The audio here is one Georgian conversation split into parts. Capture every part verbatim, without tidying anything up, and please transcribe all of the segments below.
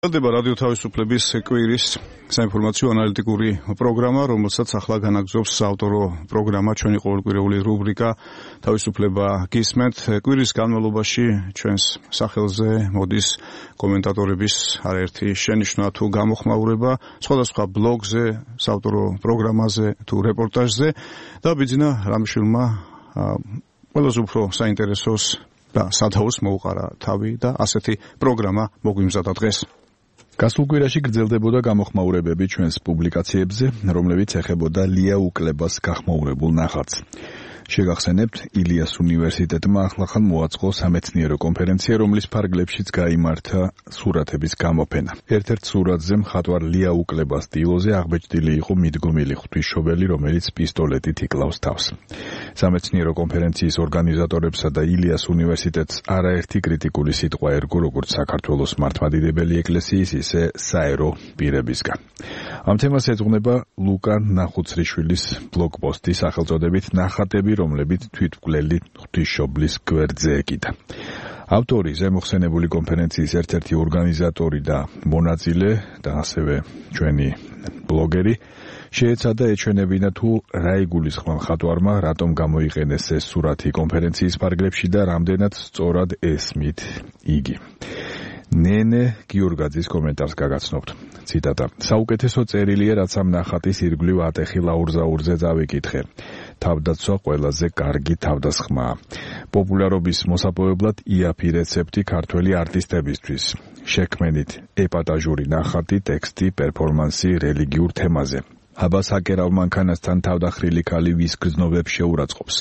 დება რადიო თავისუფლების კვირის საინფორმაციო ანალიტიკური პროგრამა, რომელსაც ახლა განაგრძობს საავტორო პროგრამა, ჩვენი ყოველკვირეული რუბრიკა თავისუფლება გისმენთ. კვირის განმავლობაში ჩვენს სახელზე მოდის კომენტატორების არაერთი შენიშვნა თუ გამოხმაურება სხვადასხვა ბლოგზე, საავტორო პროგრამაზე თუ რეპორტაჟზე და ბიძინა რამიშვილმა ყველაზე უფრო საინტერესოს და სადაოს მოუყარა თავი და ასეთი პროგრამა მოგვიმზადა დღეს. გასულ კვირაში გრძელდებოდა გამოხმაურებები ჩვენს პუბლიკაციებზე, რომლებიც ეხებოდა ლია უკლებას გახმაურებულ ნახატს. შეგახსენებთ, ილიას უნივერსიტეტმა ახლახან მოაწყო სამეცნიერო კონფერენცია, რომლის ფარგლებშიც გაიმართა სურათების გამოფენა. ერთ-ერთ სურათზე მხატვარ ლია უკლებას სტილოზე აღბეჭდილი იყო მიდგომილი ღვთისმშობელი, რომელიც პისტოლეტით იკლავს თავს. სამეცნიერო კონფერენციის ორგანიზატორებსა და ილიას უნივერსიტეტს არაერთი კრიტიკული სიტყვა ერგო, როგორც საქართველოს მართლმადიდებელი ეკლესიის, ისე საერო პირებისგან. ამ თემას ეძღვნება ლუკა ნახუცრიშვილის ბლოგპოსტი სახელწოდებით ნახატები, რომლებიც თვითმკვლელი ღვთისმშობლის გვერდზე ეკიდა. ავტორი, ზემოხსენებული კონფერენციის ერთ-ერთი ორგანიზატორი და მონაწილე და ასევე ჩვენი ბლოგერი შეეცადა ეჩვენებინა თუ რა იგულისხმა მხატვარმა, რატომ გამოიყენეს ეს სურათი კონფერენციის ფარგლებში და რამდენად სწორად ესმით იგი. ნენე გიორგაძის კომენტარს გაგაცნობთ. ციტატა: საუკეთესო წერილია, რაც ამ ნახატის ირგვლივ ატეხი ლაურზაურზე წავიკითხე. თავდაცვა ყველაზე კარგი თავდასხმაა. პოპულარობის მოსაპოვებლად იაფი რეცეპტი ქართველი არტისტებისთვის. შექმენით ეპატაჟური ნახატი, ტექსტი, პერფორმანსი რელიგიურ თემაზე. აბას აკერავ მანქანასთან თავდახრილი ქალი ვის გრძნობებს შეურაცხყოფს.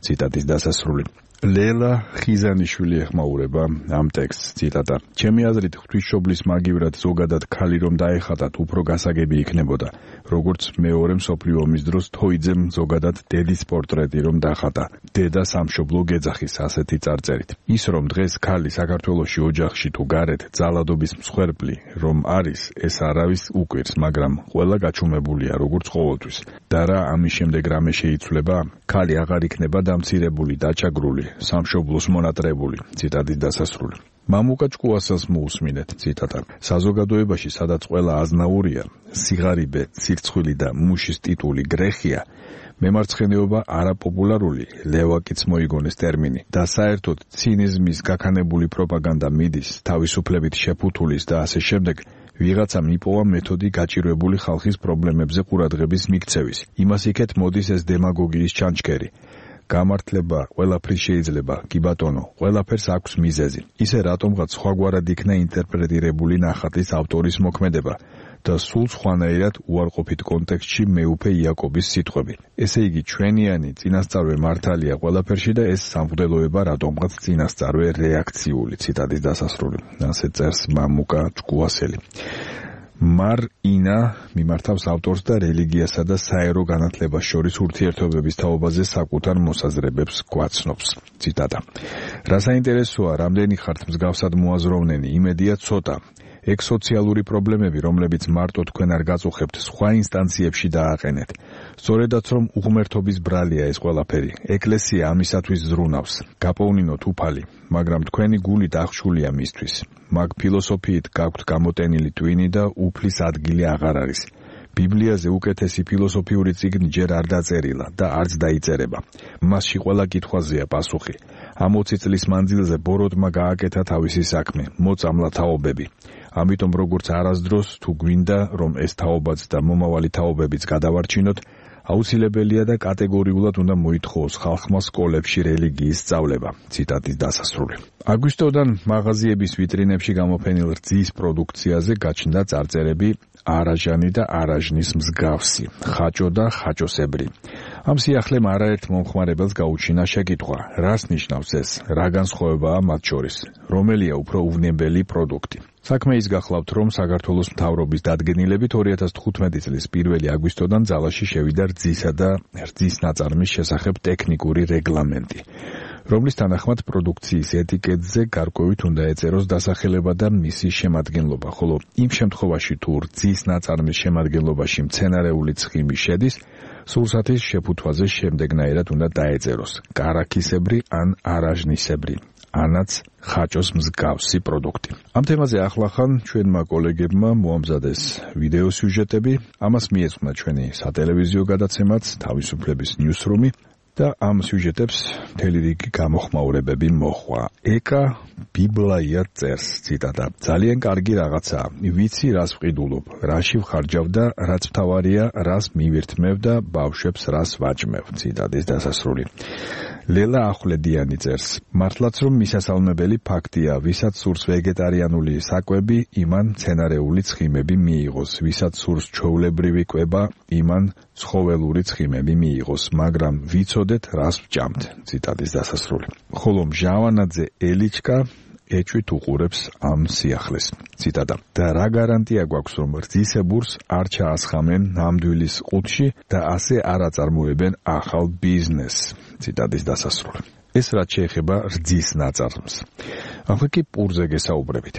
ციტატის დასასრული. ლელა ხიზანიშვილი ეხმაურება ამ ტექსტს. ციტატა: ჩემი აზრით, ღვთისმშობლის მაგივრად ზოგადად ქალი რომ დაეხატათ, უფრო გასაგები იქნებოდა. როგორც მეორე მსოფლიო ომის დროს თოიძემ ზოგადად დედის პორტრეტი რომ დახატა. დედა სამშობლო გეძახის ასეთი წარწერით. ის რომ დღეს ქალი საქართველოში ოჯახში თუ გარეთ ძალადობის მსხვერპლი რომ არის, ეს არავის უკვირს, მაგრამ ყველა გაჩუმებულია როგორც ყოველთვის. და რა ამის შემდეგ რამე შეიცვლება? ქალი აღარ იქნება დამცირებული, დაჩაგრული, სამშობლოს მონატრებული. ციტატის დასასრული. მამუკა ჭკუასას მოусმინეთ. ციტატა: საზოგადოებაში, სადაც ყველა აზნაურია, სიღარიბე, სირცხვილი და მუშის ტიტული გრეხია, მემარცხენეობა არაპოპულარული, ლევაკიც მოიგონეს ტერმინი და საერთოდ ცინიზმის გაქანებული პროპაგანდა მიდის, თავისუფლებით შეფუთულის და ასე შემდეგ, ვიღაცამ იპოვა მეთოდი გაჭირვებული ხალხის პრობლემებზე ყურადღების მიქცევის. იმას იქეთ მოდის ეს დემაგოგიის ჩანჩქერი. გამართლება ყველაფრის შეიძლება, კი ბატონო, ყველაფერს აქვს მიზეზი. ისე რატომღაც სხვაგვარად იქნა ინტერპრეტირებული ნახატის ავტორის მოქმედება და სულ სხვანაირად უარყოფით კონტექსტში მეუფე იაკობის სიტყვები. ესე იგი, ჩვენიანი წინასწარვე მართალია ყველაფერში და ეს სამღვდელოება რატომღაც წინასწარვე რეაქციული. ციტატის დასასრული. ასე წერს მამუკა ჭკუასელი. მარ ინა მიმართავს ავტორს და რელიგიასა და საერო განათლებას შორის ურთიერთობების თაობაზე საკუთარ მოსაზრებებს გვაცნობს. ციტატა: რა საინტერესოა, რამდენი ხართ მსგავსად მოაზროვნენი, იმედია ცოტა. ექსოციალური პრობლემები, რომლებიც მარტო თქვენ არ გაწუხებთ, სხვა ინსტანციებში დააყენეთ. სწორედაც რომ უღმერთობის ბრალია ეს ყველაფერი. ეკლესია ამისათვის ზრუნავს. გაპოვნინოთ უფალი, მაგრამ თქვენი გული დახშულია მისთვის. მაგ ფილოსოფიით გაქვთ გამოტენილი ტვინი და უფლის ადგილი აღარ არის. ბიბლიაზე უკეთესი ფილოსოფიური წიგნი ჯერ არ დაწერილა და არც დაიწერება. მასში ყველა კითხვაზეა პასუხი. ამ ოცი წლის მანძილზე ბოროტმა გააკეთა თავისი საქმე, მოწამლა თაობები. ამიტომ როგორც არასდროს თუ გვინდა რომ ეს თაობაც და მომავალი თაობებიც გადავარჩინოთ, აუცილებელია და კატეგორიულად უნდა მოითხოვოს ხალხმა სკოლებში რელიგიის სწავლება. ციტატის დასასრული. აგვისტოდან მაღაზიების ვიტრინებში გამოფენილ რძის პროდუქციაზე გაჩნდა წარწერები არაჟანი და არაჟნის მსგავსი, ხაჭო და ხაჭოსებრი. ამ სიახლემ არაერთ მომხმარებელს გაუჩინა შეკითხვა, რას ნიშნავს ეს, რა განსხვავებაა მათ შორის, რომელია უფრო უვნებელი პროდუქტი. საქმე ის გახლავთ, რომ საქართველოს მთავრობის დადგენილებით ორი ათას თხუთმეტი წლის პირველი აგვისტოდან ძალაში შევიდა რძისა და რძის ნაწარმის შესახებ ტექნიკური რეგლამენტი, რომლის თანახმად პროდუქციის ეტიკეტზე გარკვევით უნდა ეწეროს დასახელება და მისი შემადგენლობა, ხოლო იმ შემთხვევაში თუ რძის ნაწარმის შემადგენლობაში მცენარეული ცხიმი შედის, სულსათის შეფუთვაზე შემდეგნაირად უნდა დაეწეროს: კარაქისებრი ან არაჟნისებრი. ანაც ხაჭოს მსგავსი პროდუქტი. ამ თემაზე ახლახან ჩვენმა კოლეგებმა მოამზადეს ვიდეო სიუჟეტები, ამას მიეძღვნა ჩვენი სატელევიზიო გადაცემაც თავისუფლების ნიუსრუმი და ამ სიუჟეტებს მთელი რიგი გამოხმაურებები მოჰყვა. ეკა ბიბლაია წერს, ციტატა: ძალიან კარგი რაღაცაა, ვიცი რას ვყიდულობ, რაში ვხარჯავ და რაც მთავარია, რას მივირთმევ და ბავშვებს რას ვაჭმევ, ციტატის დასასრული. ლელა ახვლედიანი წერს: მართლაც რომ მისასალმებელი ფაქტია, ვისაც სურს ვეგეტარიანული საკვები, იმან მცენარეული ცხიმები მიიღოს, ვისაც სურს ჩვეულებრივი კვება, იმან ცხოველური ცხიმები მიიღოს, მაგრამ ვიცოდეთ რას ვჭამთ, ციტატის დასასრული. ხოლო მჟავანაძე ელიჩკა ეჭვით უყურებს ამ სიახლეს, ციტატა: და რა გარანტია გვაქვს, რომ რძისებურს არ ჩაასხამენ ნამდვილის ყუთში და ასე არ აწარმოებენ ახალ ბიზნესს, ციტატის დასასრული. ეს რაც შეეხება რძის ნაწარმს. ახლა კი პურზე გესაუბრებით.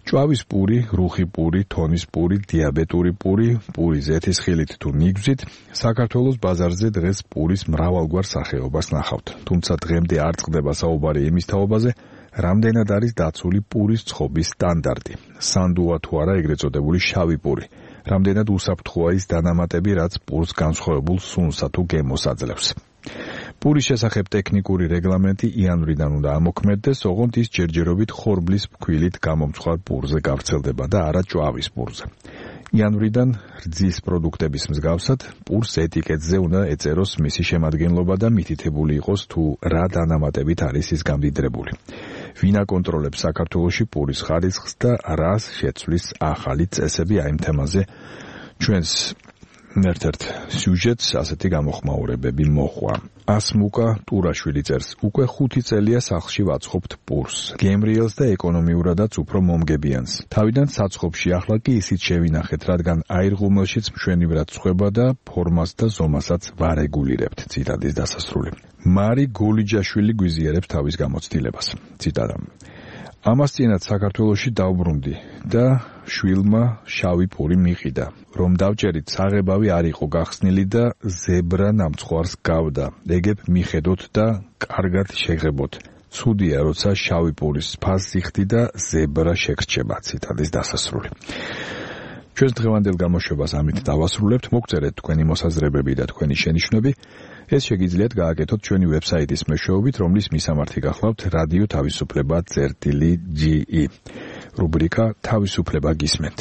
ჭვავის პური, რუხი პური, თონის პური, დიაბეტური პური, პური ზეთისხილით თუ ნიგვზით, საქართველოს ბაზარზე დღეს პურის მრავალგვარ სახეობას ნახავთ. თუმცა დღემდე არ წყდება საუბარი იმის თაობაზე, რამდენად არის დაცული პურის ცხობის სტანდარტი. სანდუა თუ არა ეგრეთ წოდებული შავი პური. რამდენად უსაფრთხოა ის დანამატები, რაც პურს განსხვავებულ სუნსა თუ გემოს აძლევს. პურის შესახებ ტექნიკური რეგლამენტი იანვრიდან უნდა ამოქმედდეს, ოღონდ ის ჯერჯერობით ხორბლის ფქვილით გამომწვარ პურზე გავრცელდება და არა ჭვავის პურზე. იანვრიდან რძის პროდუქტების მსგავსად პურს ეტიკეტზე უნდა ეწეროს მისი შემადგენლობა და მითითებული იყოს თუ რა დანამატებით არის ის გამდიდრებული. ვინ აკონტროლებს საქართველოში პურის ხარისხს და რას შეცვლის ახალი წესები აი ამ თემაზე ჩვენს ერთ-ერთ სიუჟეტს ასეთი გამოხმაურებები მოჰყვა. ასმუკა ტურაშვილი წერს: უკვე ხუთი წელია სახლში ვაცხობთ პურს, გემრიელს და ეკონომიურადაც უფრო მომგებიანს. თავიდან საცხობში, ახლა კი ისიც შევინახეთ, რადგან აირღუმელშიც მშვენივრად ცხება და ფორმას და ზომასაც ვარეგულირებთ, ციტატის დასასრული. მარი გოლიჯაშვილი გვიზიარებს თავის გამოცდილებას, ციტატა: ამას წინათ საქართველოში დავბრუნდი და შვილმა შავი პური მიყიდა. რომ დავჭერით, საღებავი არ იყო გახსნილი და ზებრა ნამცხვარს გავდა. ეგებ მიხედოთ და კარგად შეგებოთ. ცუდია, როცა შავი პურის ფასს იხდი და ზებრა შეგრჩება, ციტატის დასასრული. ჩვენს დღევანდელ გამოშვებას ამით დავასრულებთ. მოგწერეთ თქვენი მოსაზრებები და თქვენი შენიშვნები. ეს შეგიძლიათ გააკეთოთ ჩვენი ვებსაიტის მეშვეობით, რომლის მისამართი გახლავთ რადიო თავისუფლება წერტილი ჯი ი. რუბრიკა თავისუფლება გისმენთ.